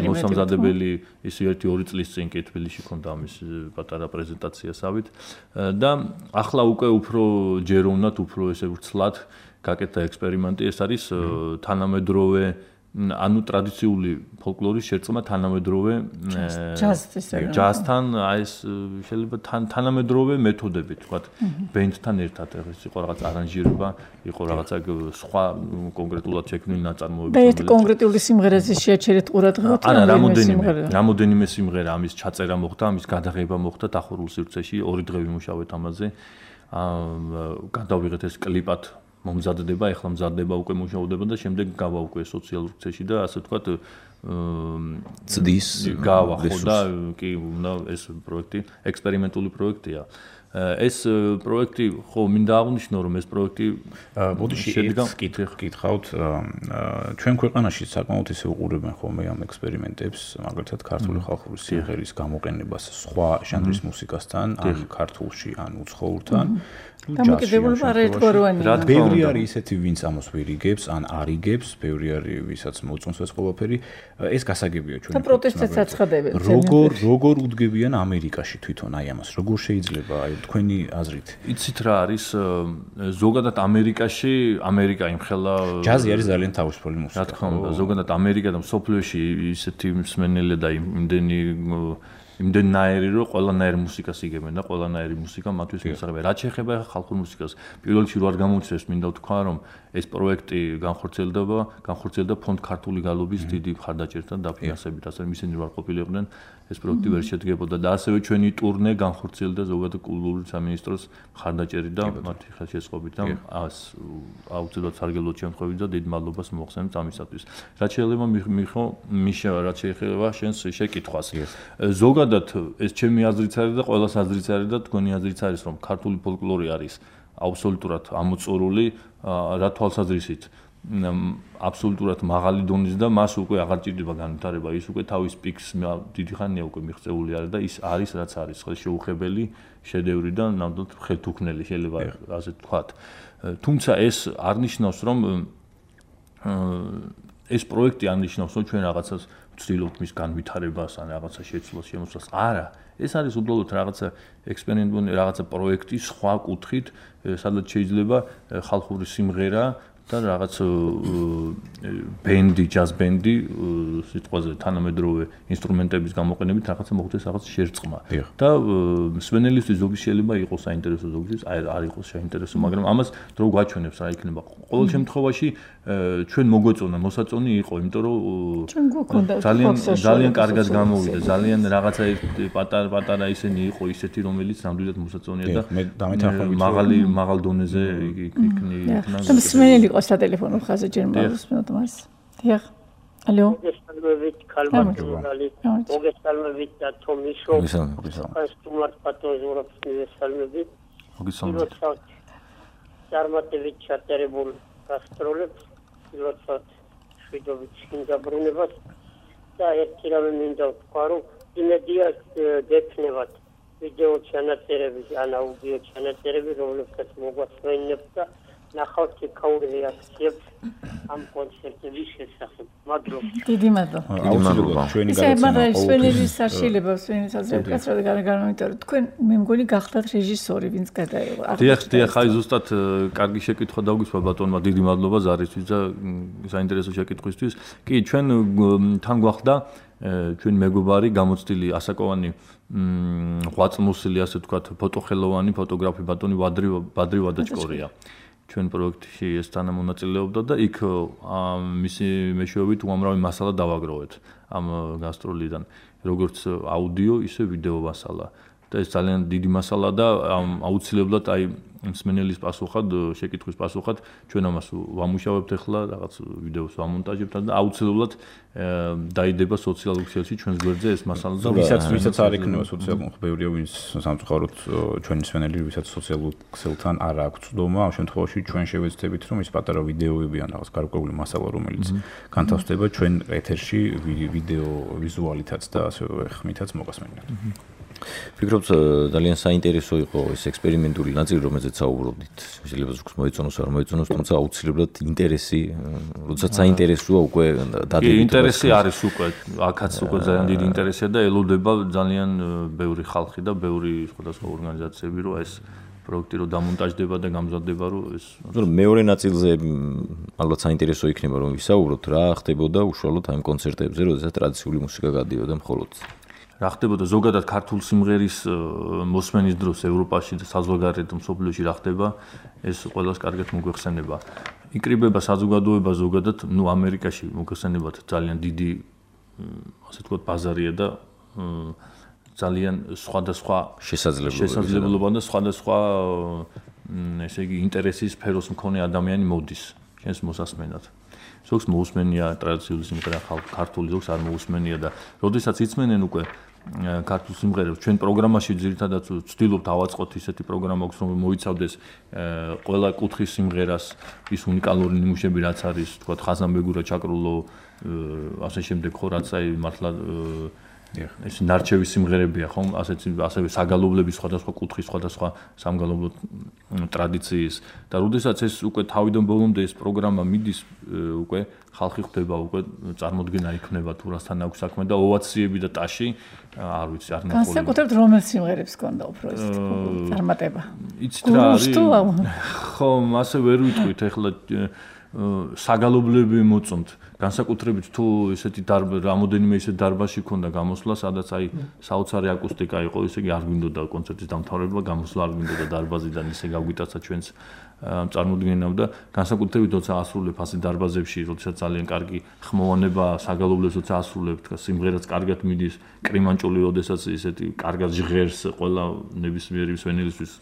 მოსამზადებელი ის ერთი ორი წლის წინ კი თბილისში გქონდა ამის პატარა პრეზენტაციასავით და ახლა უკვე უფრო ჯეროვნად, უფრო ესე ვრცლად გაკეთდა ექსპერიმენტი, ეს არის თანამედროვე ანუ ტრადიციული ფოლკლორის შერწყმა თანამედროვე ჯაზთან, აი ეს შეიძლება თანამედროვე მეთოდები, თქვათ, ბენდთან ერთად, ეს იყო რაღაც არანჟირება, იყო რაღაცა სხვა კონკრეტულად შექმნილი ნაწარმოები. და ერთ კონკრეტული სიმღერაზე შეაჩერეთ ყურადღება, არა, რამოდენიმე, რამოდენიმე სიმღერა, ამის ჩაწერა მოხდა, ამის გადაღება მოხდა დახურულ სივრცეში, ორი დღე ვიმუშავეთ ამაზე. აა გადავიღეთ ეს კლიპად მომზადდება, ეხლა მზადდება უკვე მუშაობა და შემდეგ გავა უკვე სოციალურ ქსელში და ასე ვთქვათ ცდის გავა ხო და კი უნდა ეს პროექტი ექსპერიმენტული პროექტია. ეს პროექტი ხო მინდა აღვნიშნო რომ ეს პროექტი ბოდიში კითხავთ ჩვენ ქვეყანაში საკმაოდ ისე უყურებენ ხოლმე ამ ექსპერიმენტებს მაგალითად ქართული ხალხური სიმღერის გამოყენებას სხვა ჟანრის მუსიკასთან ან ქართულში ან უცხოურთან დამოკიდებულება არაერთგვაროვანია. ბევრი არის ისეთი ვინც ამას ვერ იგებს ან არ იგებს, ბევრი არის ვისაც მოწონს ეს ყველაფერი, ეს გასაგებია ჩვენ. და პროტესტებს აცხადებენ. როგორ როგორ უდგებიან ამერიკაში თვითონ აი ამას, როგორ შეიძლება აი თქვენი აზრით? იცით რა არის ზოგადად ამერიკაში, ამერიკა იმხელა ჯაზი არის ძალიან თავისუფალი მუსიკა. რა თქმა უნდა, ზოგადად ამერიკა და მსოფლიოში ისეთი მსმენელი და იმდენი იმდენნაირი რომ ყველანაირი მუსიკას იგებენ და ყველანაირი მუსიკა მათთვის მოსაღებია. რაც შეეხება ხალხურ მუსიკას, პირველ რიგში რო არ გამოიწეს, მინდა ვთქვა რომ ეს პროექტი განხორციელდება, განხორციელდა ფონდ ქართული გალობის დიდი მხარდაჭერთან დაფინანსებით, ასე რომ ისინი არ ყოფილიყვნენ ეს პროექტი ვერ შედგებოდა და ასევე ჩვენი ტურნე განხორციელდა ზოგადად კულტურული სამინისტროს მხარდაჭერით და მათი ხელშეწყობით და აუცილებლად სარგებლოდ შემთხვევით და დიდ მადლობას მოახსენებთ ამისათვის. რაც შეიძლება მიხო მიშა, რაც შეეხება შენს შეკითხვას. ზოგადად ეს ჩემი აზრიც არის და ყველას აზრიც არის და თქვენი აზრიც არის რომ ქართული ფოლკლორი არის აბსოლუტურად ამოწურული რა თვალსაზრისით აბსოლუტურად მაღალი დონის და მას უკვე აღარ ჭირდება განვითარება, ის უკვე თავის პიკს დიდი ხანია უკვე მიღწეული არის და ის არის რაც არის, ხო შეუხებელი შედევრი და ნამდვილად ხელთუქმნელი შეიძლება ასე ვთქვათ. თუმცა ეს არ ნიშნავს რომ ეს პროექტი არ ნიშნავს რომ ჩვენ რაღაცას ვცდილობთ მის განვითარებას ან რაღაცა შეცვლას შემოსვლას. არა, ეს არის უბრალოდ რაღაცა ექსპერიმენტული რაღაცა პროექტი სხვა კუთხით, სადაც შეიძლება ხალხური სიმღერა და რაღაც ბენდი, ჯაზ ბენდი, სიტყვაზე თანამედროვე ინსტრუმენტების გამოყენებით რაღაცა მოხდეს რაღაც შერწყმა. და მსმენელისთვის ზოგი შეიძლება იყოს საინტერესო, ზოგისთვის არ იყოს საინტერესო, მაგრამ ამას დრო გვაჩვენებს რა იქნება. ყოველ შემთხვევაში ჩვენ მოგვეწონა მოსაწონი იყო, იმიტომ რომ ძალიან ძალიან კარგად გამოვიდა, ძალიან რაღაცა პატარა პატარა ისენი იყო ისეთი, რომელიც ნამდვილად მოსაწონია და მაღალი მაღალ დონეზე იქნა. და მსმენელი იყო სატელეფონო ხაზზე ჯერ მოვსმენთ მას. დიახ. ალო. მოგესალმებით, ქალბატონი. მოგესალმებით და თომისო. სტუმარს პატოზურობს მოგესალმებით. მოგესალმებით. წარმატებით ჩატერებულ გასტროლებს, როდესაც შვიდობით შინდაბრუნებას და ერთი რამე მინდა ვთქვა, რომ იმედია გექნებათ ვიდეო ჩანაწერები, ან აუდიო ჩანაწერები, რომლებსაც მოგვასვენებთ და ნახავთ იქაურ რეაქციებს ამ კონცერტების შესახებ. მადლობა. დიდი მადლობა. დიდი მადლობა. ჩვენი გადაცემა ყოველთვის საშილება, სვენის აზრით კაცრად განმეორე. თქვენ მე მგონი გახდათ რეჟისორი, ვინც გადაიღო. დიახ, დიახ, აი ზუსტად კარგი შეკითხვა დაგვისვა ბატონმა, დიდი მადლობა ზარისთვის და საინტერესო შეკითხვისთვის. კი, ჩვენ თან გვახდა ჩვენ მეგობარი გამოცდილი ასაკოვანი ღვაწლმოსილი, ასე ვთქვათ, ფოტოხელოვანი ფოტოგრაფი ბატონი ვადრი ვადრი ვადაჭკორია. ჩვენ პროექტში ეს თანამონაწილეობდა და იქ მისი მეშვეობით უამრავი მასალა დავაგროვეთ ამ გასტროლიდან, როგორც აუდიო, ისე ვიდეო მასალა. და ეს ძალიან დიდი მასალა და აუცილებლად აი მსმენელის პასუხად, შეკითხვის პასუხად ჩვენ ამას ვამუშავებთ ახლა რაღაც ვიდეოს ვამონტაჟებთ და აუცილებლად დაიდება სოციალურ ქსელში ჩვენს გვერდზე ეს მასალა და ვისაც ვისაც არ იქნება სოციალურ ბევრია ვინც სამწუხაროდ ჩვენი მსმენელი ვისაც სოციალურ ქსელთან არ აქვს ცდომა ამ შემთხვევაში ჩვენ შევეცდებით რომ ის პატარა ვიდეოები ან რაღაც გარკვეული მასალა რომელიც განთავსდება ჩვენ ეთერში ვიდეო ვიზუალითაც და ასევე ხმითაც მოგასმენთ. ფიქრობთ ძალიან საინტერესო იყო ეს ექსპერიმენტული ნაწილი რომელზეც საუბრობდით. შეიძლება ზოგს მოეწონოს არ მოეწონოს, თუმცა აუცილებლად ინტერესი, როდესაც საინტერესოა უკვე დადებით. ინტერესი არის უკვე, აქაც უკვე ძალიან დიდი ინტერესია და ელოდება ძალიან ბევრი ხალხი და ბევრი სხვადასხვა ორგანიზაციები, რომ ეს პროექტი რო დამონტაჟდება და გამზადდება, რომ ეს მეორე ნაწილზე ალბათ საინტერესო იქნება რომ ვისაუბროთ რა ხდებოდა უშუალოდ ამ კონცერტებზე, როდესაც ტრადიციული მუსიკა გადიოდა მხოლოდ. რა ხდებოდა ზოგადად ქართულ სიმღერის მოსმენის დროს ევროპაში და საზღვარგარეთ მსოფლიოში რა ხდება, ეს ყველას კარგად მოგვეხსენება. იკრიბება საზოგადოება ზოგადად, ну ამერიკაში მოგვეხსენებათ ძალიან დიდი ასე ვთქვათ ბაზარია და ძალიან სხვადასხვა შესაძლებლობა და სხვადასხვა ესე იგი ინტერესის სფეროს მქონე ადამიანი მოდის ჩვენს მოსასმენად. ზოგს მოусმენია ტრადიციული სიმღერა ქართული, ზოგს არ მოусმენია და როდესაც იცმენენ უკვე ქართულ სიმღერებს ჩვენ პროგრამაში ძირითადად ვცდილობთ ავაწყოთ ისეთი პროგრამა აქვს რომ მოიცავდეს ყველა კუთხის სიმღერას ის უნიკალური ნიმუშები რაც არის თქვა ხაზანბეგურა ჩაკრულო ასე შემდეგ ხო რაც აი მართლა ეს ნარჩევი სიმღერებია ხომ ასეც ასევე საგალობლების სხვადასხვა კუთხის სხვადასხვა სამგალობლო ტრადიციის და როდესაც ეს უკვე თავიდან ბოლომდე ეს პროგრამა მიდის უკვე ხალხი ხვდება უკვე წარმოდგენა იქნება თუ რასთან აქვს საქმე და ოვაციები და ტაში არ ვიცი არ ნახული განსაკუთრებით რომელ სიმღერებს გქონდა უფრო ეს წარმატება იცით რა არის ხო ასე ვერ ვიტყვით ეხლა საგალობლები მოწონთ განსაკუთრებით თუ ესეთი რამოდენიმე ისეთ დარბაზში ქონდა გამოსვლა სადაც აი საოცარი აკუსტიკა იყო ესე იგი არ გვინდოდა კონცერტის დამთავრება გამოსვლა არ გვინდოდა დარბაზიდან ისე გავგვიტაცა ჩვენს წარმოდგენამ და განსაკუთრებით როცა ასრულებ ასე დარბაზებში როდესაც ძალიან კარგი ხმოვანება საგალობლებს როცა ასრულებ სიმღერაც კარგად მიდის კრიმანჭული როდესაც ესეთი კარგად ჟღერს ყველა ნებისმიერი მსმენელისთვის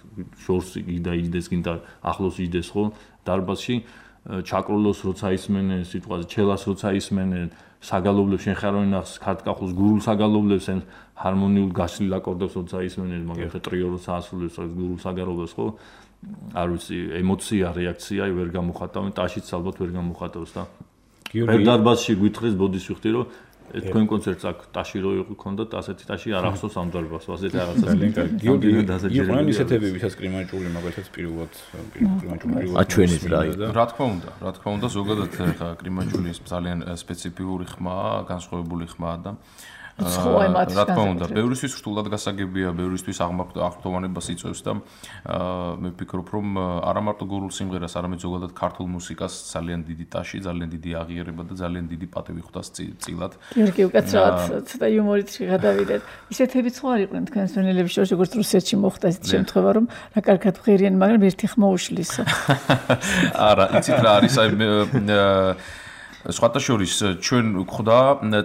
შორს იდა იდეს გინდა ახლოს იდეს ხო დარბაზში ჩაკრულოს როცა ისმენენ სიტყვაზე ჩელას როცა ისმენენ საგალობლებს შენ ხარ ვინახს ქართკახულს გურულ საგალობლებს ან ჰარმონიულ გაშლილ აკორდებს როცა ისმენენ მაგალითად ტრიო როცა ასრულებს გურულ საგალობლებს ხო არ ვიცი ემოცია რეაქცია ვერ გამოხატავენ ტაშიც ალბათ ვერ გამოხატავს და გიორგი დარბაზში გვითხრეს ბოდის ვიხდი რომ თქვენ კონცერტს აქ ტაში რო იყო ქონდათ ასეთი ტაში არ ახსოვს ამ დარბაზს ასეთი რაღაცა ძალიან კარგი გიორგი იყვნენ ისეთები ვისაც კრიმანჭული მაგალითად პირველად კრიმანჭული პირველად აჩვენეთ რა რა თქმა უნდა რა თქმა უნდა ზოგადად ხა კრიმანჭული ძალიან სპეციფიური ხმაა განსხვავებული ხმაა და რა თქმა უნდა, ბევრისთვის რთულად გასაგებია, ბევრისთვის აღფრთოვანებას იწვევს და მე ვფიქრობ, რომ არა მარტო გურულ სიმღერას, არამედ ზოგადად ქართულ მუსიკას ძალიან დიდი ტაში, ძალიან დიდი აღიარება და ძალიან დიდი პატივი ხვდას წილად. გიორგი, უკაცრავად ცოტა იუმორით გადავიდეთ. ისეთებიც ხო არ იყვნენ თქვენს ვენელების შორის, როგორც რუსეთში მოხდა ისეთი შემთხვევა, რომ რა კარგად ღირიან, მაგრამ ერთი ხმა უშლისო. არა, იცით რა არის, აი სხვათა შორის ჩვენ გვხვდა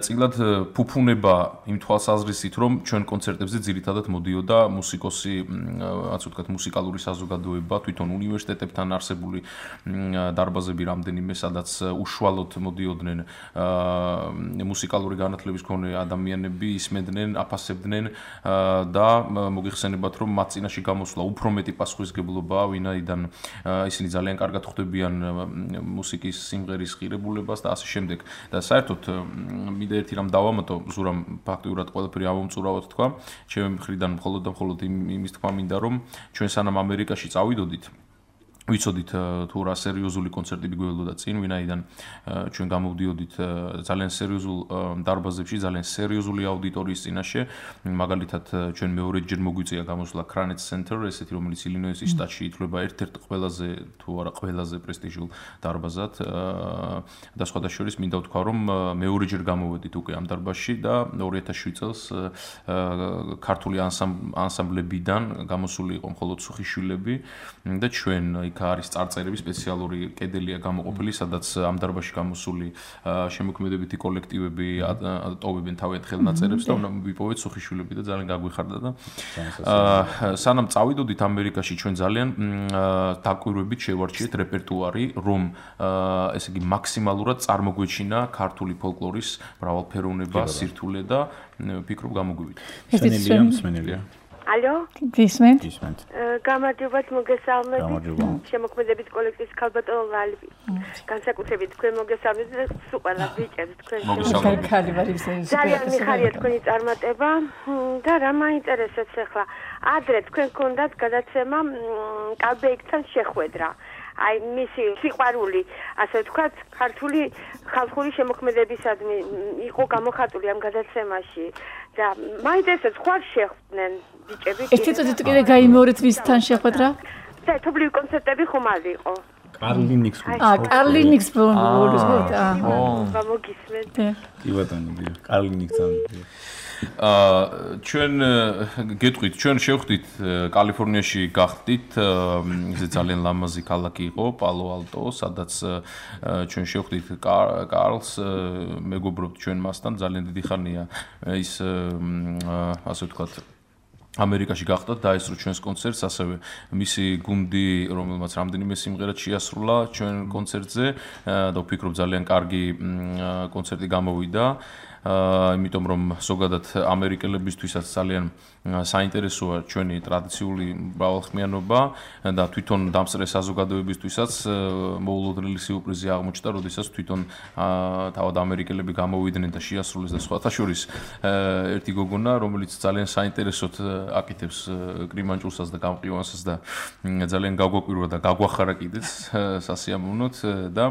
წილად ფუფუნება იმ თვალსაზრისით რომ ჩვენ კონცერტებზე ძირითადად მოდიოდა მუსიკოსი ასე ვთქვათ მუსიკალური საზოგადოება თვითონ უნივერსიტეტებთან არსებული დარბაზები რამდენიმე სადაც უშუალოდ მოდიოდნენ მუსიკალური განათლების მქონე ადამიანები ისმენდნენ აფასებდნენ და მოგიხსენებათ რომ მათ წინაშე გამოსვლა უფრო მეტი პასუხისგებლობაა ვინაიდან ისინი ძალიან კარგად ხვდებიან მუსიკის სიმღერის ღირებულებას და ასე შემდეგ და საერთოდ მინდა ერთი რამ დავამატო ზურამ ფაქტიურად ყველაფერი ავუმწურავად თქვა ჩემი მხრიდან მხოლოდ და მხოლოდ იმის თქვა მინდა რომ ჩვენ სანამ ამერიკაში წავიდოდით ვიცოდით თუ რა სერიოზული კონცერტები გველოდა წინ ვინაიდან ჩვენ გამოვდიოდით ძალიან სერიოზულ დარბაზებში ძალიან სერიოზული აუდიტორიის წინაშე მაგალითად ჩვენ მეორეჯერ მოგვიწია გამოსვლა Kranitz Center ესეთი რომელიც ილინოისის შტატში ითვლება ერთ-ერთ ყველაზე თუ არა ყველაზე პრესტიჟულ დარბაზად და სხვადასხვა შორის მინდა ვთქვა რომ მეორეჯერ გამოვედით უკვე ამ დარბაზში და ორი ათას შვიდ წელს ქართული ანსამბლებიდან გამოსული იყო მხოლოდ სუხიშვილები და ჩვენ იქ არის წარწერები, სპეციალური კედელია გამოყოფილი, სადაც ამ დარბაზში გამოსული შემოქმედებითი კოლექტივები ტოვებენ თავიანთ ხელნაწერებს და ვიპოვეთ სუხიშვილები და ძალიან გაგვიხარდა და სანამ წავიდოდით ამერიკაში ჩვენ ძალიან დაკვირვებით შევარჩიეთ რეპერტუარი, რომ ესე იგი მაქსიმალურად წარმოგვეჩინა ქართული ფოლკლორის მრავალფეროვნება, სირთულე და ვფიქრობ გამოგვივიდა. სმენელია, სმენელია. ალო? გისმენთ? გისმენთ. გამარჯობათ, მოგესალმებით. შემოქმედებით კოლექტივის ქალბატონო ლალი. განსაკუთრებით თქვენ მოგესალმებით და სულ ყველა ბიჭებს თქვენ შემოქმედებით. ძალიან მიხარია თქვენი წარმატება და რა მაინტერესებს ახლა. ადრე თქვენ გქონდათ გადაცემა კალბეიკთან შეხვედრა. აი მისი სიყვარული, ასე ვთქვათ, ქართული ხალხური შემოქმედებისადმი იყო გამოხატული ამ გადაცემაში და მაინტერესებს ხوار შეხვდნენ ბიჭები. ერთი წუთით კიდე გაიმეორეთ ვისთან შეხვედრა? და თობლივი კონცერტები ხომალდი იყო. კარლინიქს. აა, კარლინიქს ბოლოს მოხდა. აა, მოგისმენთ. კი ბატონო, კარლინიქთან. აა ჩვენ გეტყვით, ჩვენ შევხვდით კალიფორნიაში გახდით, ისე ძალიან ლამაზი ქალაქი იყო, პალო ალტო, სადაც ჩვენ შევხვდით კარლს, მეგობრობთ ჩვენ მასთან, ძალიან დიდი ხანია ის ასე ვთქვათ ამერიკაში გახდა დაესწრო ჩვენს კონცერტს, ასევე მისი გუნდი, რომელმაც რამდენიმე სიმღერა შეასრულა ჩვენ კონცერტზე და ვფიქრობ ძალიან კარგი კონცერტი გამოვიდა. აა იმიტომ რომ ზოგადად ამერიკელებისთვისაც ძალიან საინტერესოა ჩვენი ტრადიციული მრავალხმიანობა და თვითონ დამსწრე საზოგადოებისთვისაც მოულოდნელი სიურპრიზი აღმოჩნდა, როდესაც თვითონ თავად ამერიკელები გამოვიდნენ და შეასრულეს და სხვათა შორის ერთი გოგონა, რომელიც ძალიან საინტერესოდ აკეთებს კრიმანჭულსაც და გამყივანსას და ძალიან გავგვაკვირვა და გაგვახარა კიდეც სასიამოვნოდ და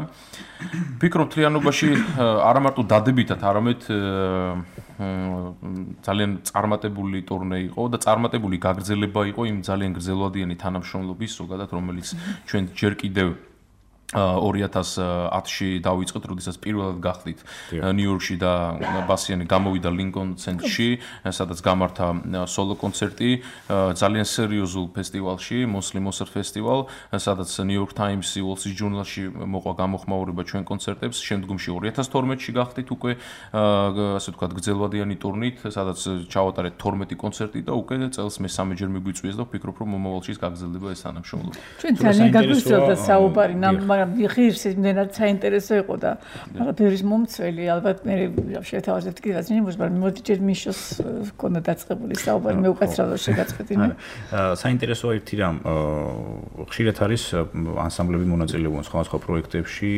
ვფიქრობ მთლიანობაში არა მარტო დადებითად, არამედ ძალიან წარმატებული ტურნე იყო და წარმატებული გაგრძელება იყო იმ ძალიან გრძელვადიანი თანამშრომლობის ზოგადად, რომელიც ჩვენ ჯერ კიდევ ორი ათას ათში დავიწყეთ, როდესაც პირველად გახდით ნიუ-იორკში და ბასიანი გამოვიდა ლინკონ ცენტრში, სადაც გამართა სოლო კონცერტი ძალიან სერიოზულ ფესტივალში, მოსლიმოსერ ფესტივალ, სადაც ნიუ-იორკ ტაიმსი, Wall Street Journal-ში მოყვა გამოხმაურება ჩვენ კონცერტებს, შემდგომში ორი ათას თორმეტში გახდით უკვე ასე ვთქვათ გრძელვადიანი ტურნით, სადაც ჩავატარეთ თორმეტი კონცერტი და უკვე წელს მესამეჯერ მიგვიწვიეს და ვფიქრობ, რომ მომავალში გაგრძელდება ეს თანამშრომლობა. ჩვენ ძალიან გაგვისწორდა საუბარი, მაგრამ ვიხირს იმდენად საინტერესო იყო და მაგრამ ბევრის მომცველი ალბათ მე შეთავაზებთ კიდევ ნიმუშს, მაგრამ მოდი ჯერ მიშოს ქონდა დაწყებული საუბარი, მე უკაცრავად შეგაწყვეტინე. საინტერესოა ერთი რამ, ხშირად არის ანსამბლები მონაწილეობენ სხვადასხვა პროექტებში,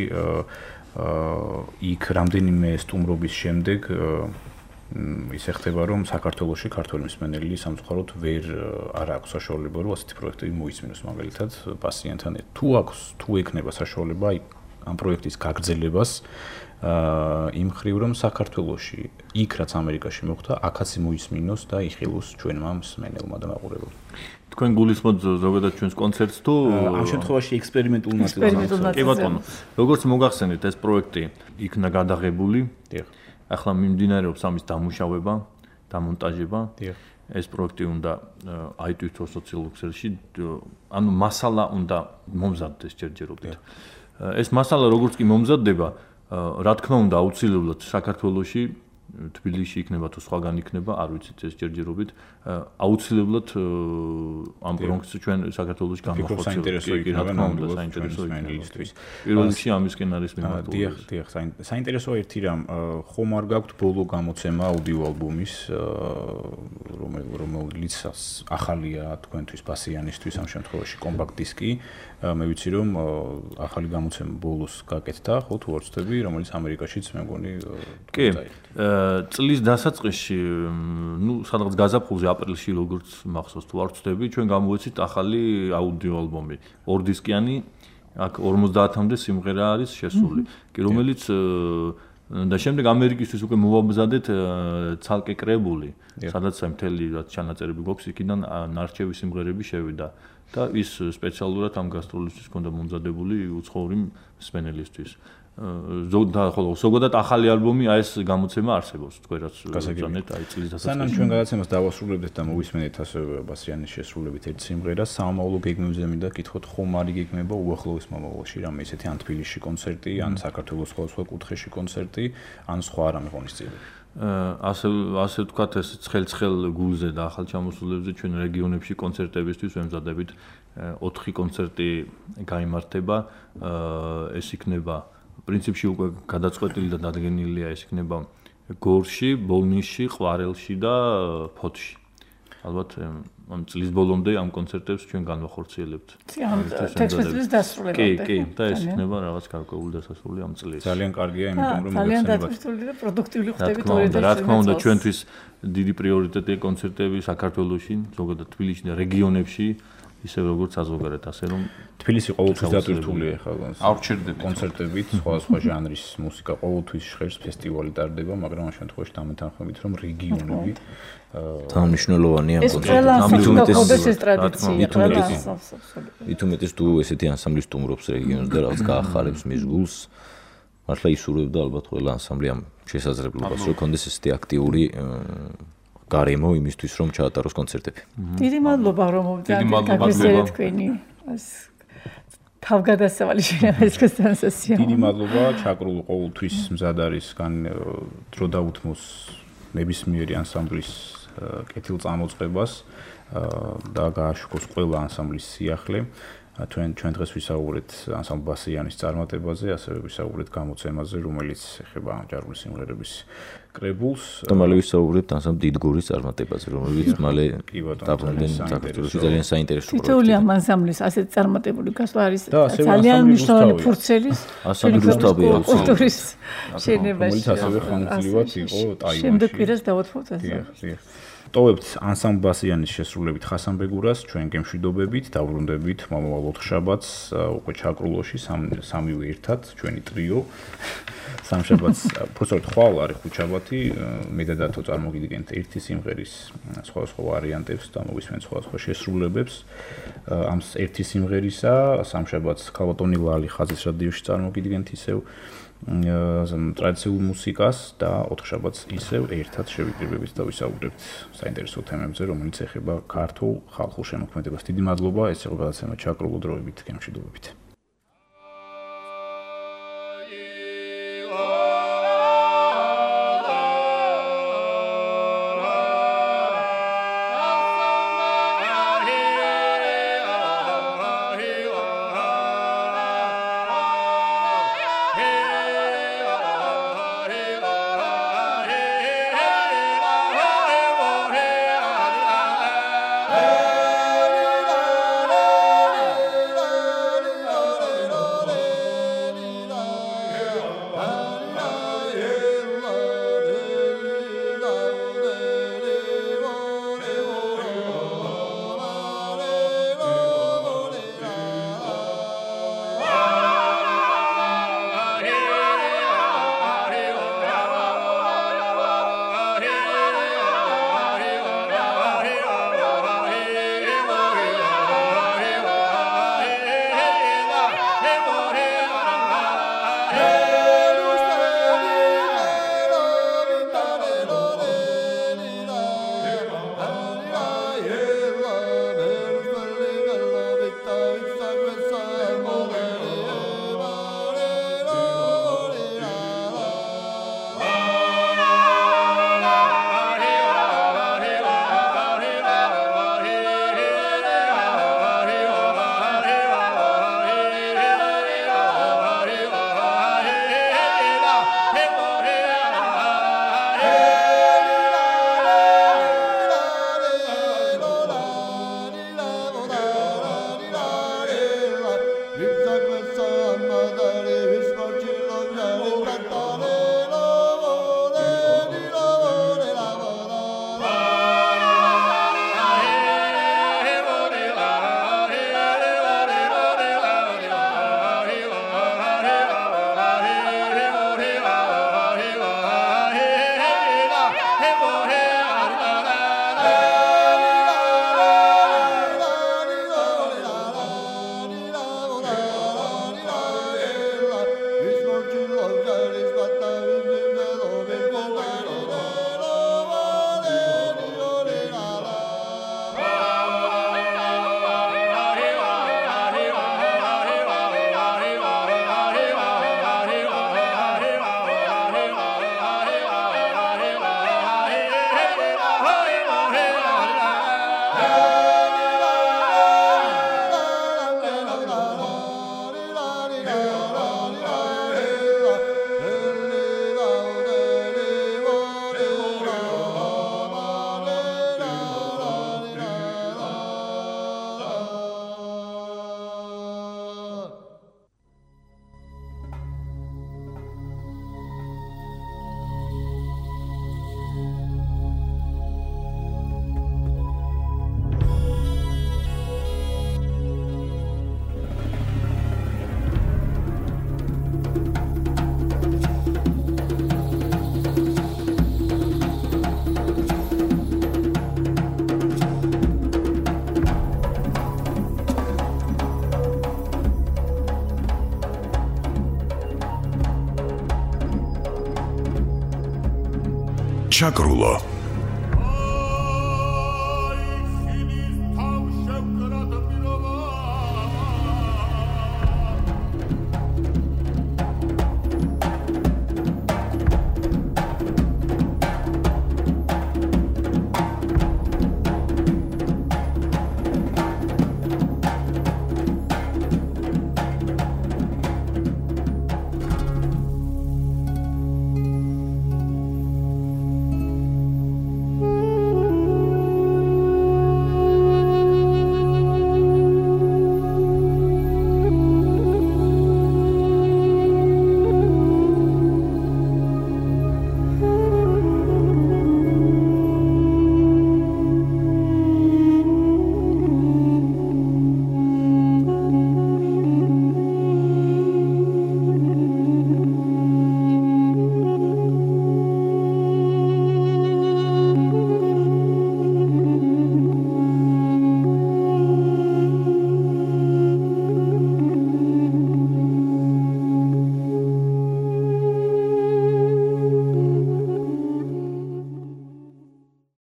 იქ რამდენიმე სტუმრობის შემდეგ ისე ხდება, რომ საქართველოში ქართული მსმენელი სამწუხაროდ ვერ არ აქვს საშუალება, რომ ასეთი პროექტები მოისმინოს, მაგალითად, პასიენთან. თუ აქვს, თუ ექნება საშუალება ამ პროექტის გაგრძელებას, იმ ხრივ, რომ საქართველოში, იქ რაც ამერიკაში მოხდა, აქაც მოისმინოს და იხილოს ჩვენმა მსმენელმა და მაყურებელმა. თქვენ გულისხმობთ ზოგადად ჩვენს კონცერტს თუ ამ შემთხვევაში ექსპერიმენტულ ნაწილს? კი ბატონო, როგორც მოგახსენეთ, ეს პროექტი იქნა გადაღებული. დიახ. ახლა მიმდინარეობს ამის დამუშავება, დამონტაჟება. ეს პროექტი უნდა აიტვირთოს სოციალურ ქსელში, ანუ მასალა უნდა მომზადდეს ჯერჯერობით. ეს მასალა როგორც კი მომზადდება, რა თქმა უნდა, აუცილებლად საქართველოში, თბილისში იქნება თუ სხვაგან იქნება, არ ვიცით ეს ჯერჯერობით, აუცილებლად ამ პროექტს ჩვენ საქართველოში გამოვხოცებთ. კი, რა თქმა უნდა, საინტერესო იქნება. პირველ რიგში ამისკენ არის მიმართული. დიახ, დიახ, საინტერესოა ერთი რამ, ხომ არ გაქვთ ბოლო გამოცემა აუდიო ალბომის, რომელიც ახალია თქვენთვის ბასიანისთვის ამ შემთხვევაში კომპაქტ დისკი. მე ვიცი რომ ახალი გამოცემა ბოლოს გაკეთდა, ხო თუ არ ვცდები, რომელიც ამერიკაშიც მე მგონი კი წლის დასაწყისში, ნუ სადღაც გაზაფხულზე აპრილში როგორც მახსოვს თუ არ ვცდები, ჩვენ გამოვეცით ახალი აუდიო ალბომი, ორ დისკიანი, აქ ორმოცდაათამდე სიმღერა არის შესული, კი რომელიც და შემდეგ ამერიკისთვის უკვე მოვამზადეთ ცალკე კრებული, სადაც მთელი რაც ჩანაწერები გვაქვს, იქიდან ნარჩევი სიმღერები შევიდა და ის სპეციალურად ამ გასტროლისთვის ჰქონდა მომზადებული უცხოური მსმენელისთვის. ზოგადად ხოლო ზოგადად ახალი ალბომი აი ეს გამოცემა არსებობს თქვენ რაც ზანეთ აი წლის დასაწყისში. სანამ ჩვენ გადაცემას დავასრულებდეთ და მოვისმენთ ასევე ბასიანის შესრულებით ერთ სიმღერას, სამომავლო გეგმებზე მინდა გითხოთ, ხომ არ იგეგმება უახლოეს მომავალში რამე ისეთი ან თბილისში კონცერტი, ან საქართველოს სხვადასხვა კუთხეში კონცერტი, ან სხვა რამე ღონისძიებები. ასე ასე ვთქვათ ეს ცხელ-ცხელ გულზე და ახალ ჩამოსულებზე ჩვენ რეგიონებში კონცერტებისთვის ვემზადებით ოთხი კონცერტი გაიმართება, ეს იქნება პრინციპში უკვე გადაწყვეტილი და დადგენილია ეს იქნება გორში, ბოლნისში, ყვარელში და ფოთში. ალბათ ამ წლის ბოლომდე ამ კონცერტებს ჩვენ განვახორციელებთ. თექსტების დასრულებამდე. კი, კი, და ეს იქნება რაღაც გარკვეული დასასრული ამ წლის. ძალიან კარგია, იმიტომ რომ ძალიან დაწესებული და პროდუქტიული ხდებით ორი და რა თქმა უნდა, ჩვენთვის დიდი პრიორიტეტია კონცერტები საქართველოში, ზოგადად თბილისში და რეგიონებში. ისე როგორც საზოგადოებრივ, ასე რომ თბილისი ყოველთვის დატვირთულია ახლა ავრჩერდებით კონცერტებით, სხვადასხვა ჟანრის მუსიკა ყოველთვის ჟღერს, ფესტივალი ტარდება, მაგრამ ამ შემთხვევაში დამეთანხმებით, რომ რეგიონები თავმნიშვნელოვანია მით უმეტეს თუ ესეთი ანსამბლი სტუმრობს რეგიონს და რაღაც გაახარებს მის გულს, მართლა ისურვებდა ალბათ ყველა ანსამბლი ამ შესაძლებლობას, რომ კონდეს ესეთი აქტიური გარემო იმისთვის რომ ჩაატაროს კონცერტები. დიდი მადლობა რომ მოგწადეთ თქვენი თავგადასავალი შენაერთსკესტანსესია. დიდი მადლობა, ჩაკრულ ყოველთვის მზად არის გან დრო დაუთმოს ნებისმიერი ანსამბლის კეთილწამოწყებას და გააშუქოს ყველა ანსამბლის სიახლე. ჩვენ ჩვენ დღეს ვისაუბრეთ ანსამბლ ბასიანის წარმატებაზე, ასევე ვისაუბრეთ გამოცემაზე, რომელიც ეხება ჯარული სიმღერების კრებულს. და მალე ვისაუბრებთ ანსამბლ დიდგორის წარმატებაზე, რომელიც მალე დაბრუნდნენ საქართველოში ძალიან საინტერესო პროექტი. თითოეული ამ ანსამბლის ასეთ წარმატებული გასვლა არის ძალიან მნიშვნელოვანი ფურცელი ანსამბლი რუსთავია კულტურის შენებაში. რომელიც ასევე ხანგრძლივად იყო ტაივანში. შემდეგ კვირას დავუთმოთ ასე. ტოვებთ ანსამბლ ბასიანის შესრულებით ხასანბეგურას, ჩვენ გემშვიდობებით, დავრუნდებით მომავალ ოთხშაბათს უკვე ჩაკრულოში სამივე ერთად, ჩვენი ტრიო. სამშაბათს, პროცესორ ხვალ არის ხუთშაბათი, მე და დათო წარმოგიდგენთ ერთი სიმღერის სხვადასხვა ვარიანტებს და მოვისმენთ სხვადასხვა შესრულებებს. ამ ერთი სიმღერისა სამშაბათს ქალბატონი ლალი ხაზის რადიოში წარმოგიდგენთ ისევ ტრადიციულ მუსიკას და ოთხშაბათს ისევ ერთად შევიკრიბებით და ვისაუბრებთ საინტერესო თემებზე, რომელიც ეხება ქართულ ხალხურ შემოქმედებას. დიდი მადლობა, ეს იყო გადაცემა ჩაკრულო დროებით, გემშვიდობებით. ჩაკრულო